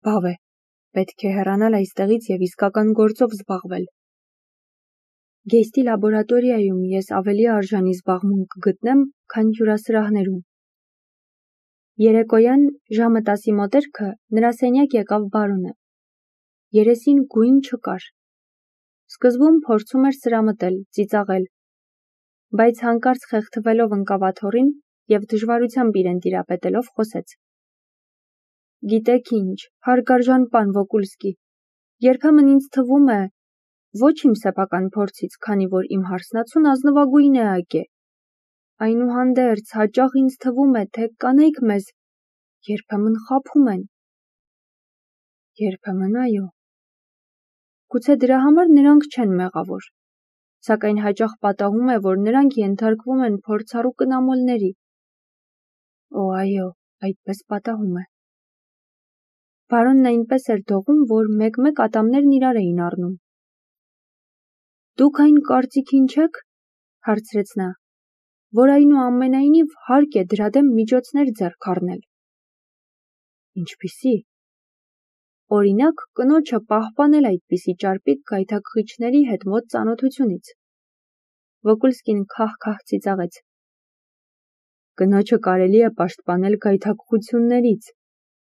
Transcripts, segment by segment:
բավ է, պետք է հեռանալ այստեղից և իսկական գործով զբաղվել։ Գեյստի լաբորատորիայում ես ավելի արժանի զբաղմունք կգտնեմ, քան հյուրասրահներում։ Երեկոյան ժամը 10-ի մոտերքը նրա սենյակ եկավ բարոնը։ Երեսին գույն չկար։ Սկզբում փորձում էր սրամտել, ծիծաղել, բայց հանկարծ խեղդվելով ընկավ աթոռին և դժվարությամբ իրեն տիրապետելով խոսեց. Գիտեք ինչ, հարգարժան պան Վոկուլսկի, երբեմն ինձ թվում է, ոչ իմ սեփական փորձից, քանի որ իմ հարսնացուն ազնվագույն է ակե։ Այնուհանդերձ հաճախ ինձ թվում է, թե կանայք մեզ երբեմն խաբում են։ Երբեմն այո։ Գուցե դրա համար նրանք չեն մեղավոր, սակայն հաճախ պատահում է, որ նրանք ենթարկվում են փորձառու կնամոլների։ Օ, այո, այդպես պատահում է։ Բարոնն այնպես էր դողում, որ մեկ-մեկ ատամներն իրար էին առնում։ Դուք այն կարծիքին չեք, հարցրեց նա, որ այնուամենայնիվ հարկ է դրա դեմ միջոցներ ձեռք առնել։ Ինչպիսի։ Օրինակ, կնոջը պահպանել այդպիսի ճարպիկ գայթակղիչների հետ մոտ ծանոթությունից։ Վոկուլսկին քահ-քահ ծիծաղեց։ Կնոջը կարելի է պաշտպանել գայթակղություններից,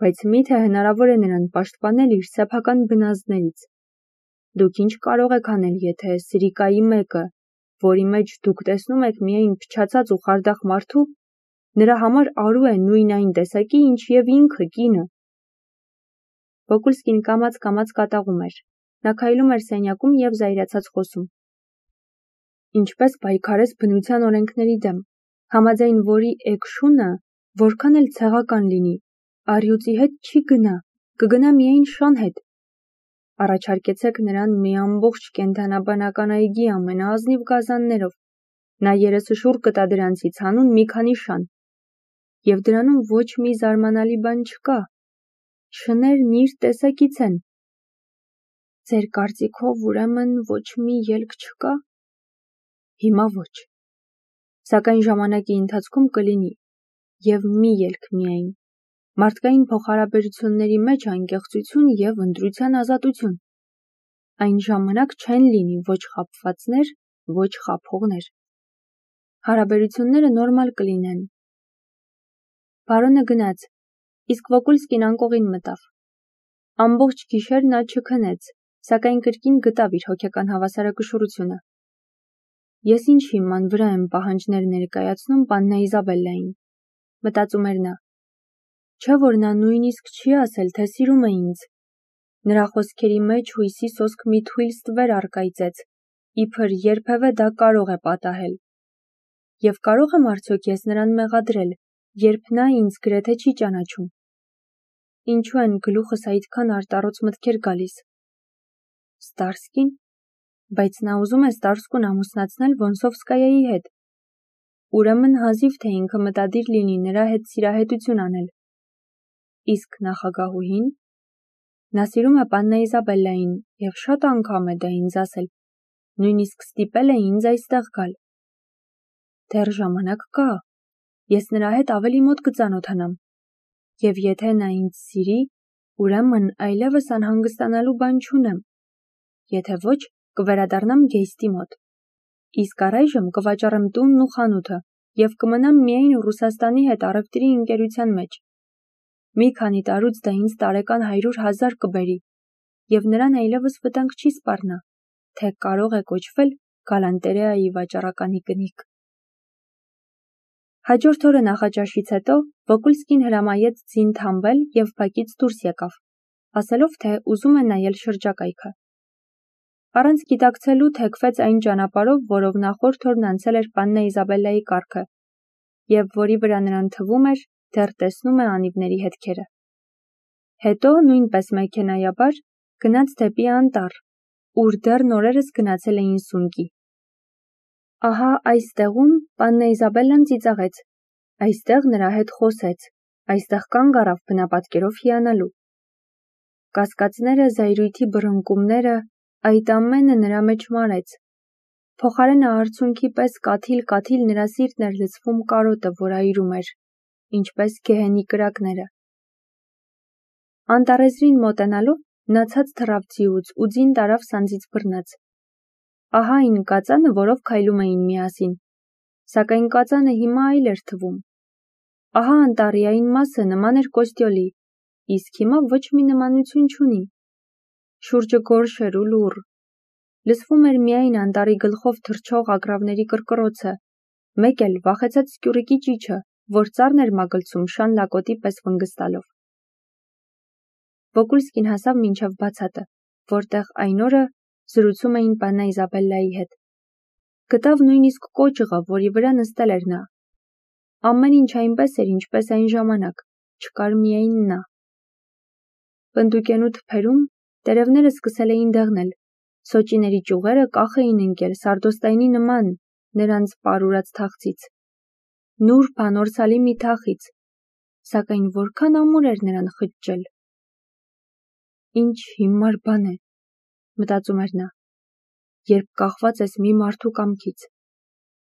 բայց միթե հնարավոր է նրան պաշտպանել իր սեփական բնազդներից։ Դուք ինչ կարող եք անել, եթե սրիկայի մեկը, որի մեջ դուք տեսնում եք միայն փչացած ու խարդախ մարդու, նրա համար արու է նույն այն տեսակի, ինչ և ինքը կինը։ Վոկուլսկին կամաց-կամաց կատաղում էր։ Նա քայլում էր սենյակում և զայրացած խոսում։ Ինչպես պայքարես բնության օրենքների դեմ, համաձայն որի էգշունը, որքան էլ ցեղական լինի, առյուծի հետ չի գնա, կգնա միայն շան հետ։ Առաջարկեցեք նրան մի ամբողջ կենդանաբանական այգի ամենաազնիվ գազաններով, նա երեսշուռ կտա դրանցից հանուն մի քանի շան։ Եվ դրանում ոչ մի զարմանալի բան չկա։ Շներն իր տեսակից են։ Ձեր կարծիքով ուրեմն ոչ մի ելք չկա։ Հիմա ոչ։ Սակայն ժամանակի ընթացքում կլինի, և մի ելք միայն։ Մարդկային փոխհարաբերությունների մեջ անկեղծություն և ընտրության ազատություն։ Այն ժամանակ չեն լինի ոչ խաբվածներ, ոչ խաբողներ։ Հարաբերությունները նորմալ կլինեն։ Բարոնը գնաց, իսկ Վոկուլսկին անկողին մտավ։ Ամբողջ գիշեր նա չքնեց, սակայն կրկին գտավ իր հոգեկան հավասարակշռությունը։ Ես ինչ հիման վրա եմ պահանջներ ներկայացնում պաննա Իզաբելլային, մտածում էր նա։ Չէ՞ որ նա նույնիսկ չի ասել, թե սիրում է ինձ։ Նրա խոսքերի մեջ հույսի սոսկ մի թույլ ստվեր առկայծեց, իբր երբևէ դա կարող է պատահել։ Եվ կարող եմ արդյոք ես նրան մեղադրել, երբ նա ինձ գրեթե չի ճանաչում։ Ինչու են գլուխս այդքան արտառոց մտքեր գալիս։ Ստարսկին, բայց նա ուզում է Ստարսկուն ամուսնացնել Վոնսովսկայայի հետ։ Ուրեմն հազիվ թե ինքը մտադիր լինի նրա հետ սիրահետություն անել։ Իսկ նախագահուհին։ Նա սիրում է պաննա Իզաբելլային և շատ անգամ է դա ինձ ասել, նույնիսկ ստիպել է ինձ այստեղ գալ։ Դեռ ժամանակ կա, ես նրա հետ ավելի մոտ կծանոթանամ, և եթե նա ինձ սիրի, ուրեմն այլևս անհանգստանալու բան չունեմ, եթե ոչ, կվերադառնամ Գեյստի մոտ, իսկ առայժմ կվաճառեմ տունն ու խանութը և կմնամ միայն Ռուսաստանի հետ առևտրի ընկերության մեջ։ Մի քանի տարուց դա ինձ տարեկան 100,000 կբերի, և նրան այլևս վտանգ չի սպառնա, թե կարող է կոչվել գալանտերեայի վաճառականի կնիկ։ Հաջորդ օրը նախաճաշից հետո Վոկուլսկին հրամայեց ձին թամբել և բակից դուրս եկավ, ասելով, թե ուզում է նայել շրջակայքը։ Առանց գիտակցելու թեքվեց այն ճանապարհով, որով նախորդ օրն անցել էր պաննա Իզաբելլայի կառքը, և որի վրա նրան թվում էր, դեռ տեսնում է անիվների հետքերը։ Հետո, նույնպես մեքենայաբար, գնաց դեպի անտառ, ուր դեռ նորերս գնացել էին սունկի։ Ահա այստեղում պաննա Իզաբելլան ծիծաղեց, այստեղ նրա հետ խոսեց, այստեղ կանգ առավ բնապատկերով հիանալու։ Կասկածները, զայրույթի բռնկումները, այդ ամենը նրա մեջ մարեց։ Փոխարենը արցունքի պես կաթիլ-կաթիլ նրա սիրտն էր լցվում կարոտը, որ այրում էր, ինչպես գեհենի կրակները։ Անտառեզրին մոտենալով նա ցած թռավ ձիուց ու ձին տարավ սանձից բռնած։ Ահա այն կածանը, որով քայլում էին միասին, սակայն կածանը հիմա այլ էր թվում։ Ահա անտառի այն մասը նման էր կոստյոլի, իսկ հիմա ոչ մի նմանություն չունի։ Շուրջը գորշ էր ու լուռ։ Լսվում էր միայն անտառի գլխով թռչող ագռավների կռկռոցը, մեկ էլ վախեցած սկյուռիկի ճիչը, որ ծառն էր մագլցում շան լակոտի պես վնգստալով։ Վոկուլսկին հասավ մինչև բացատը, որտեղ այն օրը զրուցում էին պաննա Իզաբելլայի հետ։ Գտավ նույնիսկ կոճղը, որի վրա նստել էր նա։ Ամեն ինչ այնպես էր, ինչպես այն ժամանակ, չկար միայն նա։ Պնդուկենու թփերում տերևները սկսել էին դեղնել, սոճիների ճյուղերը կախ էին ընկել սարդոստայնի նման նրանց պարուրած թախծից, նուրբ անորսալի մի թախից, սակայն որքան ամուր էր նրան խճճել։ Ինչ հիմար բան է, մտածում էր նա, երբ կախված ես մի մարդու կամքից։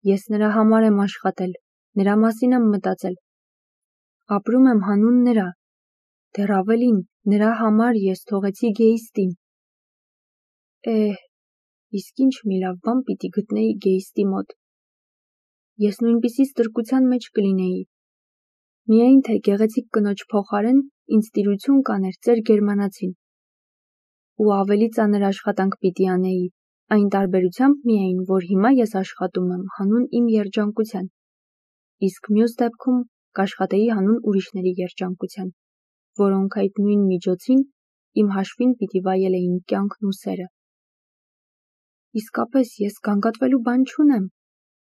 Ես նրա համար եմ աշխատել, նրա մասին եմ մտածել։ Ապրում եմ հանուն նրա, դեռ ավելին, նրա համար ես թողեցի գեյստին։ Իսկ ինչ մի լավ բան պիտի գտնեի գեյստի մոտ։ Ես նույնպիսի ստրկության մեջ կլինեի։ Միայն թե գեղեցիկ կնոջ փոխարեն ինձ տիրություն կաներ ծեր գերմանացին։ Ու ավելի ծանր աշխատանք պիտի անեի, այն տարբերությամբ միայն, որ հիմա ես աշխատում եմ հանուն իմ երջանկության, իսկ մյուս դեպքում կաշխատեի հանուն ուրիշների երջանկության, որոնք այդ նույն միջոցին իմ հաշվին պիտի վայել էին կյանքն ու սերը։ Իսկապես ես գանգատվելու բան չունեմ։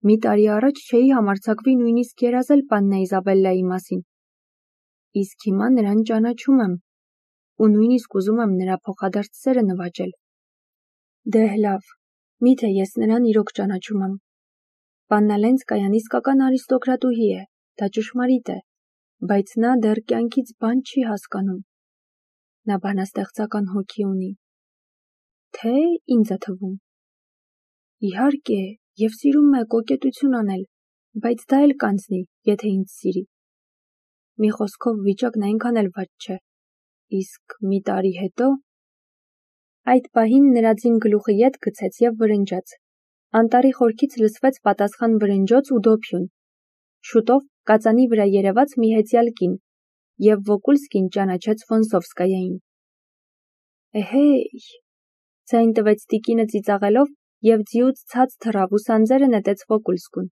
Մի տարի առաջ չէի համարձակվի նույնիսկ երազել պաննա Իզաբելլայի մասին։ Իսկ հիմա նրան ճանաչում եմ ու նույնիսկ ուզում եմ նրա փոխադարձ սերը նվաճել։ Դե լավ, միթե ես նրան իրոք ճանաչում եմ։ Պաննա Լենցկայան իսկական արիստոկրատուհի է, դա ճշմարիտ է, բայց նա դեռ կյանքից բան չի հասկանում։ Նա բանաստեղծական հոգի ունի։ Թե ինձ է թվում։ Իհարկե, եւ սիրում է կոկետություն անել, բայց դա էլ կանցնի, եթե ինձ սիրի։ Մի խոսքով վիճակն այնքան էլ վատ չէ։ Իսկ մի տարի հետո… Այդ պահին նրա ձին գլուխը ետ գցեց եւ վրնջաց։ Անտառի խորքից լսվեց պատասխան վրնջոց ու դոփյուն։ Շուտով կածանի վրա երևաց մի հեծյալ կին, եւ Վոկուլսկին ճանաչեց Ֆոնսովսկայային։ Էհեյ… Ձայն տվեց տիկինը ծիծաղելով եւ ձիուց ցած թռավ ու սանձերը նետեց Վոկուլսկուն։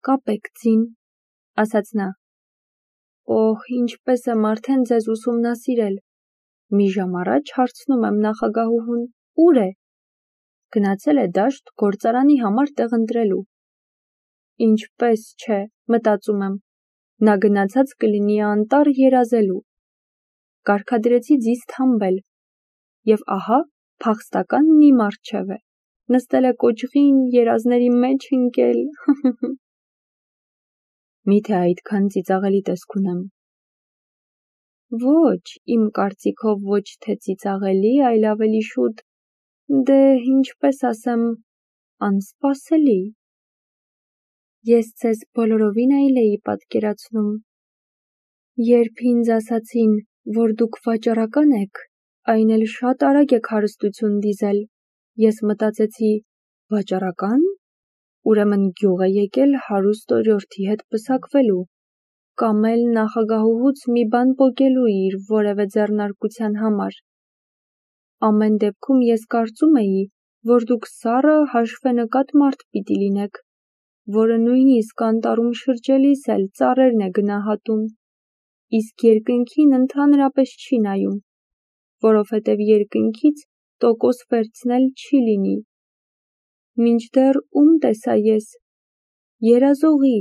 Կապեք ձին, ասաց նա։ Օհ, ինչպես եմ արդեն ձեզ ուսումնասիրել։ Մի ժամ առաջ հարցնում եմ նախագահուհուն, ուր է։ Գնացել է դաշտ գործարանի համար տեղ ընտրելու։ Ինչպես չէ, մտածում եմ, նա գնացած կլինի անտառ երազելու։ Կարգադրեցի ձիզ թամբել։ Եվ ահա, փախստականն իմ առջև է։ Նստել է կոճղին, երազների մեջ ընկել։ Միթե այդքան ծիծաղելի տեսք ունեմ։ Ոչ, իմ կարծիքով ոչ թե ծիծաղելի, այլ ավելի շուտ, դե ինչպես ասեմ, անսպասելի։ Ես ձեզ բոլորովին այլ էի պատկերացնում։ Երբ ինձ ասացին, որ դուք վաճառական եք, այն էլ շատ արագ եք հարստություն դիզել, ես մտածեցի, վաճառական, ուրեմն գյուղ է եկել հարուստ օրիորդի հետ պսակվելու, կամ էլ նախագահուհուց մի բան պոկելու իր որևէ ձեռնարկության համար։ Ամեն դեպքում ես կարծում էի, որ դուք սառը հաշվենկատ մարդ պիտի լինեք, որը նույնիսկ անտառում շրջելիս էլ ծառերն է գնահատում, իսկ երկնքին ընդհանրապես չի նայում, որովհետև երկնքից տոկոս վերցնել չի լինի։ Մինչդեռ ում տեսա ես։ Երազողի,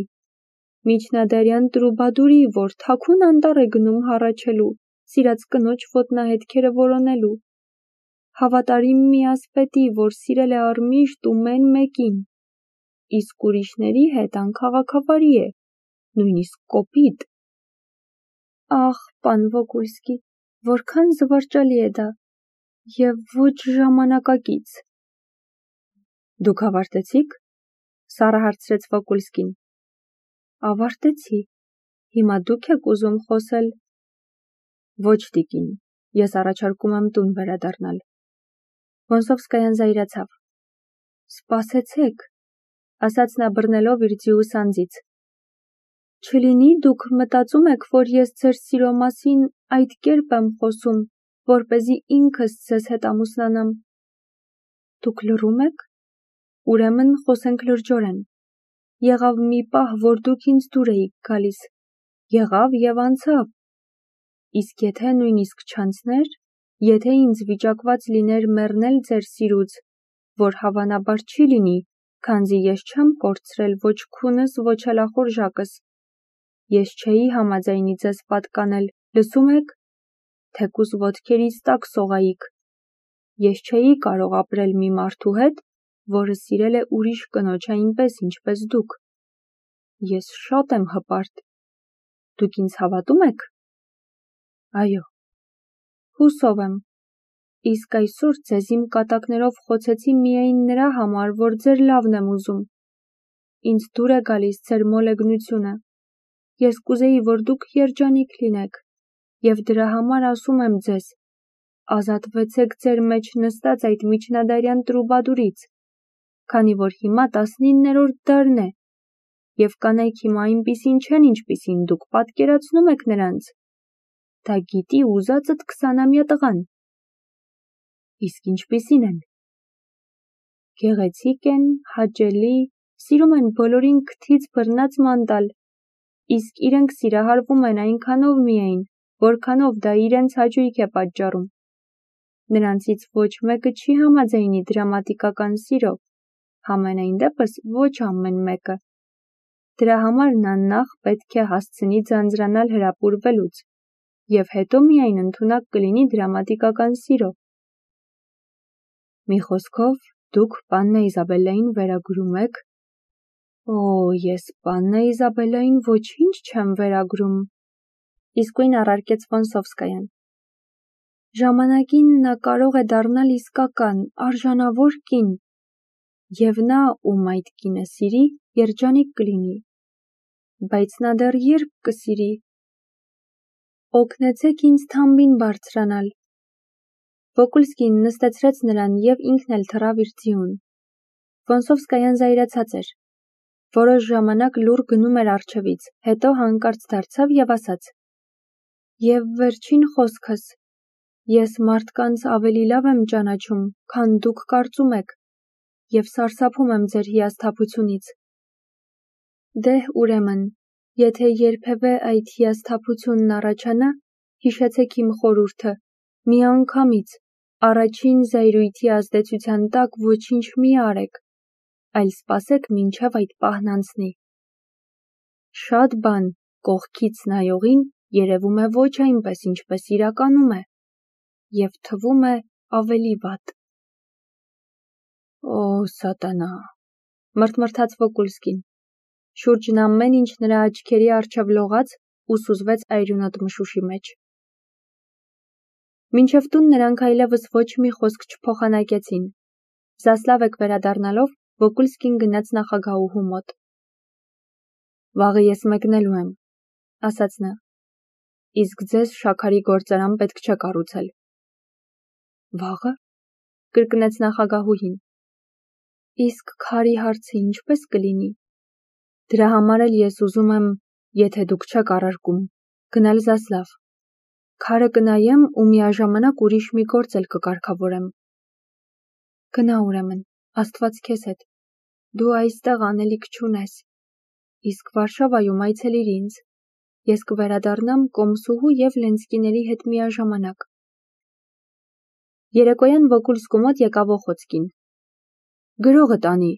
միջնադարյան տրուբադուրի, որ թաքուն անտառ է գնում հառաչելու, սիրած կնոջ ոտնահետքերը որոնելու։ Հավատարիմ մի ասպետի, որ սիրել է առմիշտ ու մեն մեկին, իսկ ուրիշների հետ անքաղաքավարի է, նույնիսկ կոպիտ։ Ախ, պան Վոկուլսկի, որքան զվարճալի է դա, եւ ոչ ժամանակակից։ Դուք ավարտեցիք, սառը հարցրեց Վոկուլսկին։ Ավարտեցի, հիմա դուք եք ուզում խոսել։ Ոչ տիկին, ես առաջարկում եմ տուն վերադառնալ։ Վոնսովսկայան զայրացավ։ Սպասեցեք, ասաց նա բռնելով իր ձիու սանձից։ Չլինի դուք մտածում եք, որ ես ձեր սիրո մասին այդ կերպ եմ խոսում, որպեսզի ինքս ձեզ հետ ամուսնանամ։ Դուք լռում եք։ Ուրեմն խոսենք լրջորեն։ Եղավ մի պահ, որ դուք ինձ դուր էիք գալիս։ Եղավ եւ անցավ։ Իսկ եթե նույնիսկ չանցներ, եթե ինձ վիճակված լիներ մեռնել ձեր սիրուց, որ հավանաբար չի լինի, քանզի ես չեմ կորցրել ոչ քունս, ոչ էլ ախորժակս, ես չէի համաձայնի ձեզ պատկանել, լսում եք, թեկուզ ոտքերից տակ սողայիք, ես չէի կարող ապրել մի մարդու հետ, որը սիրել է ուրիշ կնոջ այնպես, ինչպես դուք, ես շատ եմ հպարտ, դուք ինձ հավատում եք։ Այո, հուսով եմ, իսկ այսօր ձեզ իմ կատակներով խոցեցի միայն նրա համար, որ ձեր լավն եմ ուզում, ինձ դուր է գալիս ձեր մոլեգնությունը, ես կուզեի, որ դուք երջանիկ լինեք, և դրա համար ասում եմ ձեզ, ազատվեցեք ձեր մեջ նստած այդ միջնադարյան տրուբադուրից, քանի որ հիմա 19-րդ դարն է, և կանայք հիմա այնպիսին չեն, ինչպիսին դուք պատկերացնում եք նրանց, դա գիտի ուզածդ 20-ամյա տղան։ Իսկ ինչպիսին են։ Գեղեցիկ են, հաճելի, սիրում են բոլորին քթից բռնած ման տալ, իսկ իրենք սիրահարվում են այնքանով միայն, որքանով դա իրենց հաճույք է պատճառում։ Նրանցից ոչ մեկը չի համաձայնի դրամատիկական սիրո, համենայն դեպս ոչ ամեն մեկը։ Դրա համար նա նախ պետք է հասցնի ձանձրանալ հրապուրվելուց, և հետո միայն ընդունակ կլինի դրամատիկական սիրո։ Մի խոսքով, դուք պաննա Իզաբելլային վերագրում եք։ Օ, ես պաննա Իզաբելլային ոչինչ չեմ վերագրում, իսկույն առարկեց Վոնսովսկայան։ Ժամանակին նա կարող է դառնալ իսկական, արժանավոր կին, և նա, ում այդ կինը սիրի, երջանիկ կլինի, բայց նա դեռ երբ կսիրի։ Օգնեցեք ինձ թամբին բարձրանալ։ Վոկուլսկին նստեցրեց նրան և ինքն էլ թռավ իր ձիուն։ Վոնսովսկայան զայրացած էր։ Որոշ ժամանակ լուռ գնում էր առջևից, հետո հանկարծ դարձավ և ասաց. Եվ վերջին խոսքս, ես մարդկանց ավելի լավ եմ ճանաչում, քան դուք կարծում եք, և սարսափում եմ ձեր հիասթափությունից։ Դե ուրեմն, եթե երբևէ այդ հիասթափությունն առաջանա, հիշեցեք իմ խորհուրդը, միանգամից, առաջին զայրույթի ազդեցության տակ ոչինչ մի արեք, այլ սպասեք մինչև այդ պահն անցնի։ Շատ բան կողքից նայողին երևում է ոչ այնպես, ինչպես իրականում է, և թվում է ավելի վատ։ Օ, սատանա, մրթմրթաց Վոկուլսկին, շուրջն ամեն ինչ նրա աչքերի առջև լողաց ու սուզվեց այրունոտ մշուշի մեջ։ Մինչև տուն նրանք այլևս ոչ մի խոսք չփոխանակեցին։ Զասլավեկ վերադառնալով, Վոկուլսկին գնաց նախագահուհու մոտ։ Վաղը ես մեկնելու եմ, ասաց նա, իսկ ձեզ շաքարի գործարան պետք չէ կառուցել։ Վաղը, կրկնեց նախագահուհին, իսկ քարի հարցը ինչպես կլինի։ Դրա համար էլ ես ուզում եմ, եթե դուք չեք առարկում, գնալ Զասլավ։ Քարը կնայեմ ու միաժամանակ ուրիշ մի գործ էլ կկարգավորեմ։ Գնա ուրեմն, Աստված քեզ հետ, դու այստեղ անելիք չունես, իսկ Վարշավայում այցելիր ինձ, ես կվերադառնամ կոմսուհու և Լենսկիների հետ միաժամանակ։ Երեկոյան Վոկուլսկու մոտ եկավ Օխոցկին։ Գրողը տանի,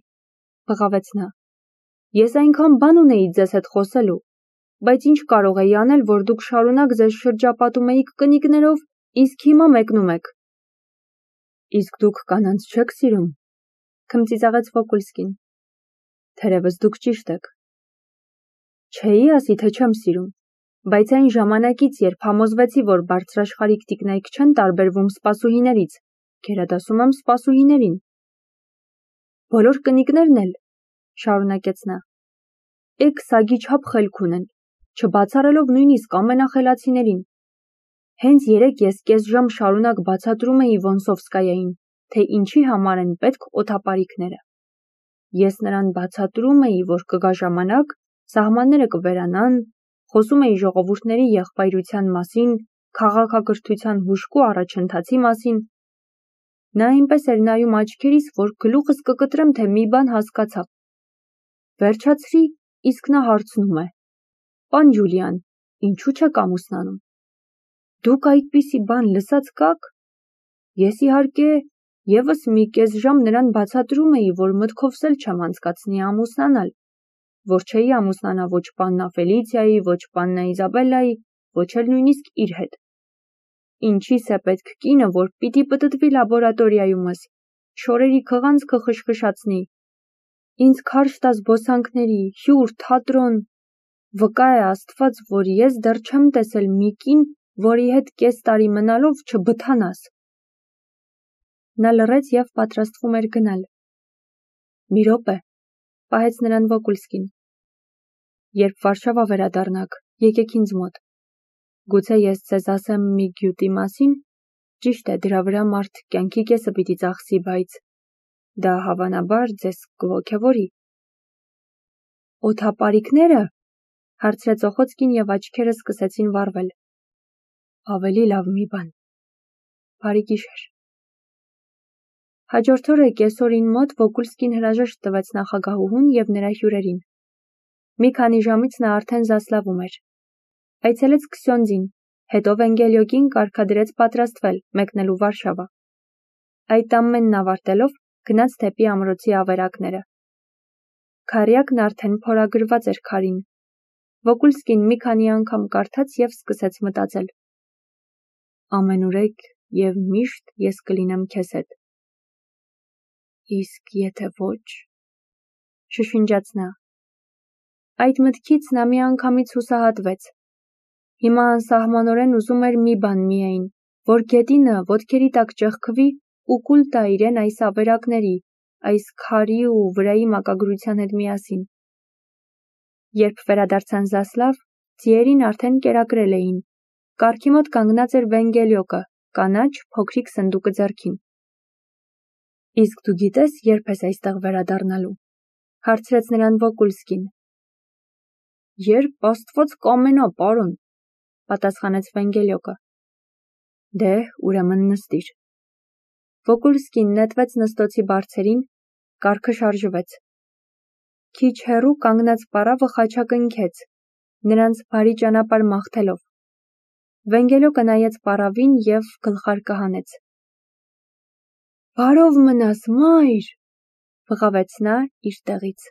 բղավեց նա։ Ես այնքան բան ունեի ձեզ հետ խոսելու, բայց ինչ կարող էի անել, որ դուք շարունակ ձեզ շրջապատում էիք կնիկներով, իսկ հիմա մեկնում եք։ Իսկ դուք կանանց չեք սիրում, քմծիծաղեց Վոկուլսկին։ Թերևս դուք ճիշտ եք։ Չէի ասի, թե չեմ սիրում, բայց այն ժամանակից, երբ համոզվեցի, որ բարձրաշխարհիկ տիկնայք չեն տարբերվում սպասուհիներից, գերադասում եմ սպասուհիներին։ Բոլոր կնիկներն էլ, շարունակեց նա, էգ սագի չափ խելք ունեն, չբացառելով նույնիսկ ամենախելացիներին։ Հենց երեկ ես կես ժամ շարունակ բացատրում էի Վոնսովսկայային, թե ինչի համար են պետք օդապարիկները։ Ես նրան բացատրում էի, որ կգա ժամանակ, սահմանները կվերանան, խոսում էի ժողովուրդների եղբայրության մասին, քաղաքակրթության հուժկու առաջընթացի մասին։ Նա այնպես էր նայում աչքերիս, որ գլուխս կկտրեմ, թե մի բան հասկացա։ Վերջացրի, իսկ նա հարցնում է. «Պան Ջուլիան, ինչու չեք ամուսնանում»։ Դուք այդպիսի բան լսած կաք։ Ես իհարկե եւս մի կես ժամ նրան բացատրում էի, որ մտքովս էլ չեմ անցկացնի ամուսնանալ, որ չէի ամուսնանա ոչ պաննա Ֆելիցիայի, ոչ պաննա Իզաբելլայի, ոչ էլ նույնիսկ իր հետ։ Ինչիս է պետք կինը, որ պիտի պտտվի լաբորատորիայումս, շորերի քղանցքը խշխշացնի, ինձ քարշ տա զբոսանքների, հյուր, թատրոն։ Վկա է Աստված, որ ես դեռ չեմ տեսել մի կին, որի հետ կես տարի մնալով չբթանաս։ Նա լռեց եւ պատրաստվում էր գնալ։ Մի րոպե, պահեց նրան Վոկուլսկին։ Երբ Վարշավա վերադառնաք, եկեք ինձ մոտ։ Գուցե ես ձեզ ասեմ մի գյուտի մասին, ճիշտ է, դրա վրա մարդ կյանքի կեսը պիտի ծախսի, բայց դա հավանաբար ձեզ կողոքևորի։ Օդապարիկները, հարցրեց Օխոցկին եւ աչքերը սկսեցին վառվել։ Ավելի լավ մի բան։ Բարի գիշեր։ Հաջորդ օրը կեսօրին մոտ Վոկուլսկին հրաժեշտ տվեց նախագահուհուն եւ նրա հյուրերին։ Մի քանի ժամից նա արդեն Զասլավում էր։ Այցելեց Քսյոնդին, հետո Վենգելիոկին կարգադրեց պատրաստվել, մեկնելու Վարշավա։ Այդ ամենն ավարտելով գնաց դեպի ամրոցի ավերակները։ Քարյակն արդեն փորագրված էր քարին։ Վոկուլսկին մի քանի անգամ կարդաց եւ սկսեց մտածել։ Ամենուրեք եւ միշտ ես կլինեմ քեզ հետ։ Իսկ եթե ոչ, շշնջաց նա։ Այդ մտքից նա մի անգամից հուսահատվեց։ Հիմա անսահմանորեն ուզում էր մի բան միայն, որ գետինը ոտքերի տակ ճեղքվի ու կուլ տա իրեն այս ավերակների, այս քարի ու վրայի մակագրության հետ միասին։ Երբ վերադարձան Զասլավ, ձիերին արդեն կերակրել էին։ Կառքի մոտ կանգնած էր Վենգելիոկը, կանաչ, փոքրիկ սնդուկը ձեռքին։ Իսկ դու գիտես, երբ ես այստեղ վերադառնալու, հարցրեց նրան Վոկուլսկին։ Երբ Աստված կամենա, պարոն, պատասխանեց Վենգելիոկը։ Դե, ուրեմն նստիր։ Վոկուլսկին նետվեց նստոցի բարձերին, կառքը շարժվեց։ Քիչ հեռու կանգնած պարավը խաչակնքեց, նրանց բարի ճանապարհ մաղթելով։ Վենգելիոկը նայեց պարավին եւ գլխարկը հանեց։ Բարով մնաս, մայր, բղավեց նա իր տեղից։